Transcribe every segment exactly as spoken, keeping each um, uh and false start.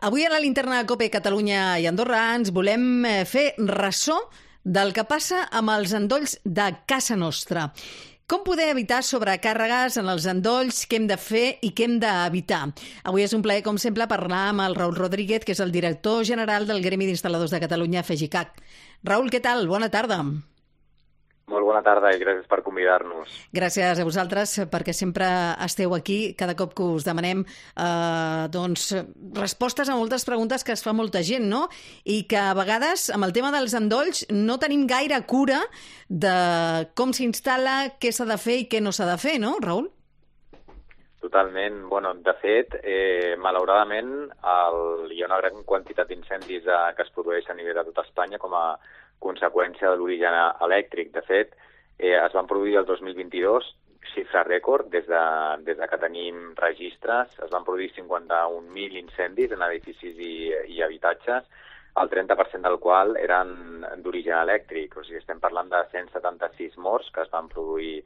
Avui a la linterna de COPE Catalunya i Andorra ens volem fer ressò del que passa amb els endolls de casa nostra. Com poder evitar sobrecàrregues en els endolls, què hem de fer i què hem d'evitar? Avui és un plaer, com sempre, parlar amb el Raül Rodríguez, que és el director general del Gremi d'Instal·ladors de Catalunya, FEGICAC. Raül, què tal? Bona tarda. Molt bona tarda i gràcies per convidar-nos. Gràcies a vosaltres perquè sempre esteu aquí cada cop que us demanem eh, doncs, respostes a moltes preguntes que es fa molta gent, no? I que a vegades amb el tema dels endolls no tenim gaire cura de com s'instal·la, què s'ha de fer i què no s'ha de fer, no, Raül? Totalment. Bueno, de fet, eh, malauradament el, hi ha una gran quantitat d'incendis eh, que es produeix a nivell de tota Espanya com a conseqüència de l'origen elèctric. De fet, eh, es van produir el dos mil vint-i-dos xifra rècord des de, des de que tenim registres. Es van produir cinquanta-un mil incendis en edificis i, i habitatges, el trenta per cent del qual eren d'origen elèctric. O sigui, estem parlant de cent setanta-sis morts que es van produir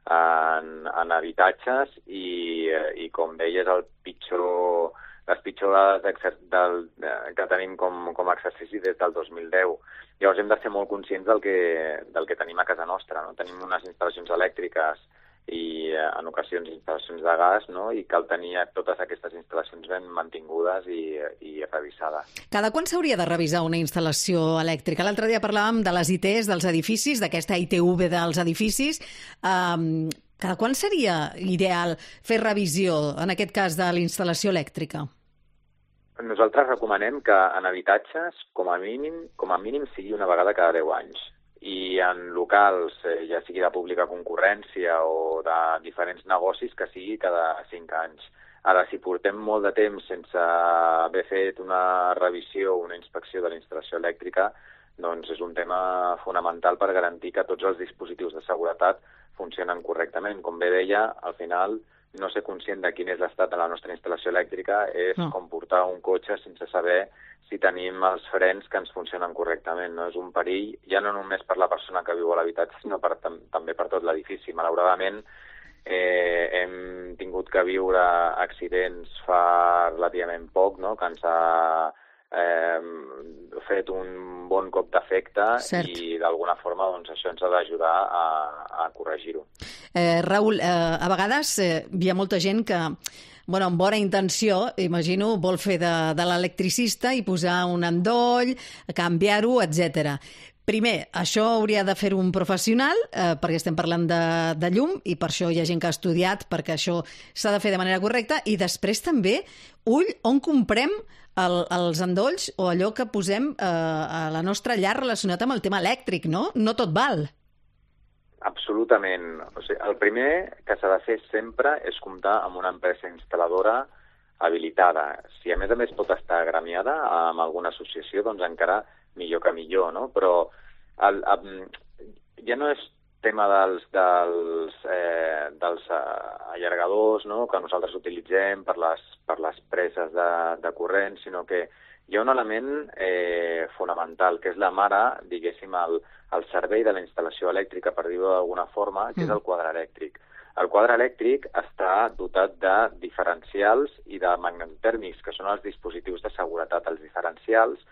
en, en habitatges i, i, com deies, el pitjor, les pitjors dades del, que tenim com, com a exercici des del dos mil deu. Llavors hem de ser molt conscients del que, del que tenim a casa nostra, no? Tenim unes instal·lacions elèctriques i en ocasions instal·lacions de gas, no? I cal tenir totes aquestes instal·lacions ben mantingudes i, i revisades. Cada quan s'hauria de revisar una instal·lació elèctrica? L'altre dia parlàvem de les I Ts dels edificis, d'aquesta I T V dels edificis. Um, cada quan seria ideal fer revisió, en aquest cas, de la instal·lació elèctrica? Nosaltres recomanem que en habitatges, com a mínim, com a mínim sigui una vegada cada deu anys. I en locals, eh, ja sigui de pública concurrència o de diferents negocis, que sigui cada cinc anys. Ara, si portem molt de temps sense haver fet una revisió o una inspecció de la instal·lació elèctrica, doncs és un tema fonamental per garantir que tots els dispositius de seguretat funcionen correctament. Com bé deia, al final, no ser conscient de quin és l'estat de la nostra instal·lació elèctrica és no. com portar un cotxe sense saber si tenim els frens que ens funcionen correctament. No? És un perill, ja no només per la persona que viu a l'habitatge, sinó per, tam també per tot l'edifici. Malauradament, eh, hem tingut que viure accidents fa relativament poc, no? Que ens ha eh, fet un bon cop d'efecte i d'alguna forma doncs, això ens ha d'ajudar a, a corregir-ho. Eh, Raül, eh, a vegades eh, hi ha molta gent que, bueno, amb bona intenció, imagino, vol fer de, de l'electricista i posar un endoll, canviar-ho, etcètera. Primer, això hauria de fer un professional, eh, perquè estem parlant de, de llum, i per això hi ha gent que ha estudiat, perquè això s'ha de fer de manera correcta, i després també, ull, on comprem el, els endolls o allò que posem eh, a la nostra llar relacionat amb el tema elèctric, no? No tot val. Absolutament. O sigui, el primer que s'ha de fer sempre és comptar amb una empresa instal·ladora habilitada. Si a més a més pot estar agremiada amb alguna associació, doncs encara millor que millor, no? Però el, el, ja no és tema dels, dels, eh, dels allargadors, no? Que nosaltres utilitzem per les, per les preses de, de corrent, sinó que hi ha un element eh, fonamental, que és la mare, diguéssim, el, el servei de la instal·lació elèctrica, per dir-ho d'alguna forma, que és el quadre elèctric. El quadre elèctric està dotat de diferencials i de magnetotèrmics, que són els dispositius de seguretat. Els diferencials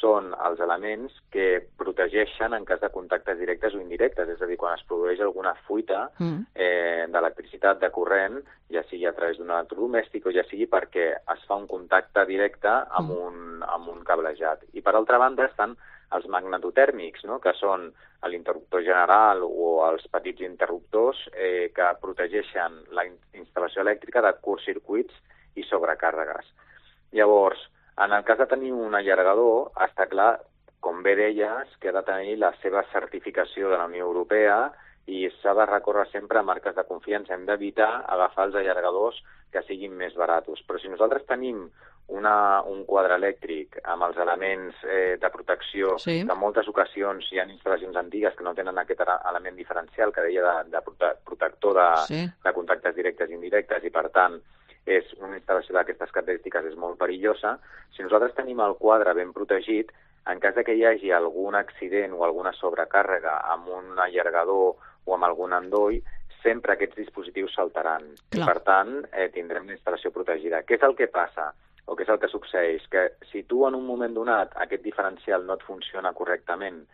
són els elements que protegeixen en cas de contactes directes o indirectes, és a dir, quan es produeix alguna fuita eh, d'electricitat, de corrent, ja sigui a través d'un electrodomèstic o ja sigui perquè es fa un contacte directe amb un, amb un cablejat. I per altra banda estan els magnetotèrmics, no? Que són l'interruptor general o els petits interruptors eh, que protegeixen la instal·lació elèctrica de curtcircuits i sobrecàrregues. Llavors, en el cas de tenir un allargador, està clar, com bé deies, que ha de tenir la seva certificació de la Unió Europea i s'ha de recórrer sempre a marques de confiança. Hem d'evitar agafar els allargadors que siguin més baratos. Però si nosaltres tenim una, un quadre elèctric amb els elements eh, de protecció, sí. que en moltes ocasions hi ha instal·lacions antigues que no tenen aquest element diferencial que deia de, de prote protector de, sí. de contactes directes i indirectes i, per tant, és una instal·lació d'aquestes característiques és molt perillosa. Si nosaltres tenim el quadre ben protegit, en cas de que hi hagi algun accident o alguna sobrecàrrega amb un allargador o amb algun endoll, sempre aquests dispositius saltaran. Clar. I, per tant, eh, tindrem una instal·lació protegida. Què és el que passa? o què és el que succeeix? Que si tu en un moment donat aquest diferencial no et funciona correctament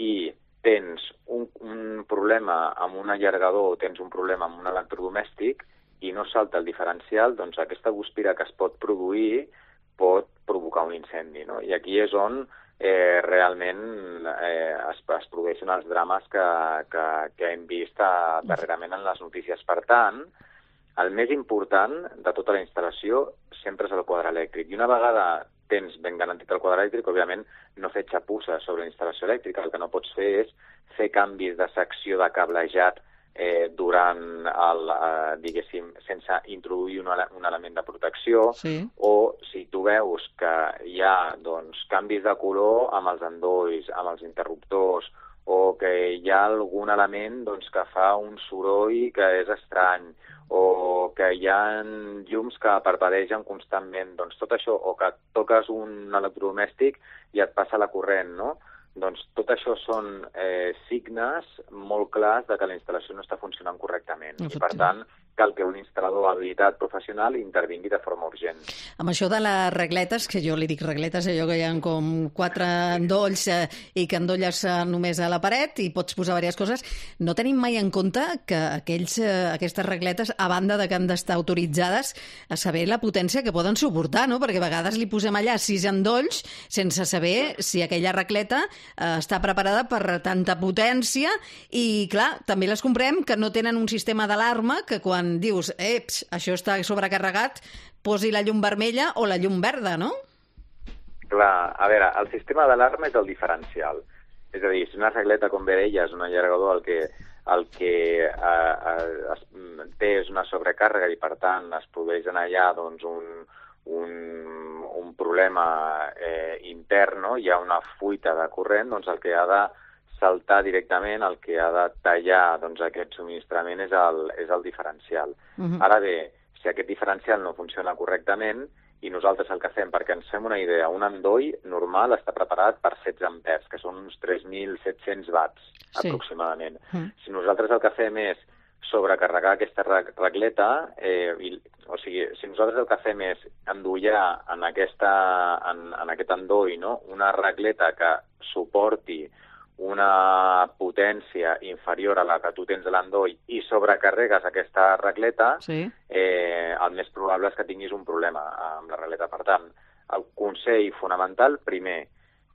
i tens un, un problema amb un allargador o tens un problema amb un electrodomèstic i no salta el diferencial, doncs aquesta guspira que es pot produir pot provocar un incendi, no? I aquí és on eh, realment eh, es, es produeixen els drames que, que, que hem vist a, darrerament en les notícies. Per tant, el més important de tota la instal·lació sempre és el quadre elèctric. I una vegada tens ben garantit el quadre elèctric, òbviament no fer xapusses sobre la instal·lació elèctrica. El que no pots fer és fer canvis de secció de cablejat eh, durant el, eh, diguéssim, sense introduir un, ele un element de protecció, sí. O si tu veus que hi ha doncs, canvis de color amb els endolls, amb els interruptors, o que hi ha algun element doncs, que fa un soroll que és estrany, o que hi ha llums que parpadegen constantment, doncs tot això, o que toques un electrodomèstic i et passa la corrent, no? Doncs tot això són eh, signes molt clars de que la instal·lació no està funcionant correctament. I, per tant, cal que un instal·lador habilitat professional intervingui de forma urgent. Amb això de les regletes, que jo li dic regletes, allò que hi ha com quatre endolls eh, i que endolles eh, només a la paret i pots posar diverses coses, no tenim mai en compte que aquells, eh, aquestes regletes, a banda de que han d'estar autoritzades, a saber la potència que poden suportar, no? Perquè a vegades li posem allà sis endolls sense saber si aquella regleta eh, està preparada per tanta potència i, clar, també les comprem que no tenen un sistema d'alarma que quan dius, eps, això està sobrecarregat, posi la llum vermella o la llum verda, no? Clar, a veure, el sistema d'alarma és el diferencial. És a dir, si una regleta, com bé deia, és un allargador, el que, el que eh, es, té és una sobrecàrrega i, per tant, es produeix en allà doncs, un, un, un problema eh, intern, no? Hi ha una fuita de corrent, doncs el que ha de saltar directament, el que ha de tallar doncs, aquest subministrament és el, és el diferencial. Uh-huh. Ara bé, si aquest diferencial no funciona correctament i nosaltres el que fem, perquè ens fem una idea, un endoll normal està preparat per setze ampers, que són uns tres mil set-cents watts, sí. Aproximadament. Uh-huh. Si nosaltres el que fem és sobrecarregar aquesta regleta, eh, i, o sigui, si nosaltres el que fem és endollar en, aquesta, en, en aquest endoll, no? Una regleta que suporti una potència inferior a la que tu tens a l'endoll i sobrecarregues aquesta regleta, sí. eh, el més probable és que tinguis un problema amb la regleta. Per tant, el consell fonamental, primer,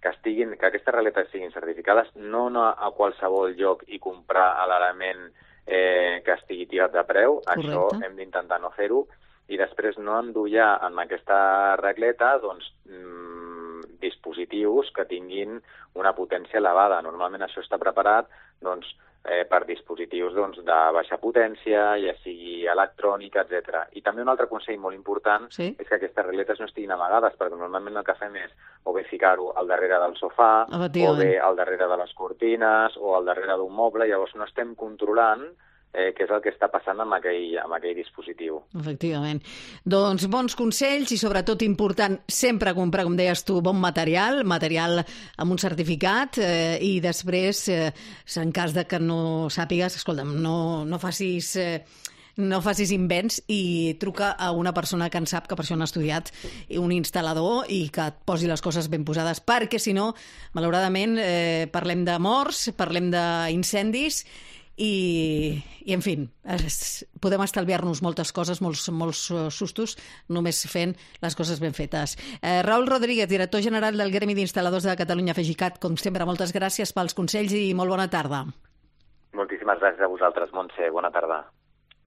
que, estiguin, que aquestes regletes siguin certificades, no anar a qualsevol lloc i comprar l'element eh, que estigui tirat de preu. Correcte. Això hem d'intentar no fer-ho. I després no endollar en aquesta regleta doncs, dispositius que tinguin una potència elevada. Normalment això està preparat doncs, eh, per dispositius doncs, de baixa potència, ja sigui electrònica, etcètera. I també un altre consell molt important, sí? És que aquestes regletes no estiguin amagades, perquè normalment el que fem és o bé ficar-ho al darrere del sofà, o bé al darrere de les cortines, o al darrere d'un moble, llavors no estem controlant Eh, què és el que està passant amb aquell, amb aquell dispositiu. Efectivament. Doncs bons consells i sobretot important sempre comprar, com deies tu, bon material, material amb un certificat eh, i després, eh, en cas de que no sàpigues, escolta'm, no, no facis... Eh, no facis invents i truca a una persona que en sap, que per això han estudiat, un instal·lador, i que et posi les coses ben posades, perquè si no, malauradament, eh, parlem de morts, parlem d'incendis i, i en fi, es, podem estalviar-nos moltes coses, molts, molts sustos, només fent les coses ben fetes. Eh, Raül Rodríguez, director general del Gremi d'Instal·ladors de Catalunya, FEGICAT, com sempre, moltes gràcies pels consells i molt bona tarda. Moltíssimes gràcies a vosaltres, Montse. Bona tarda.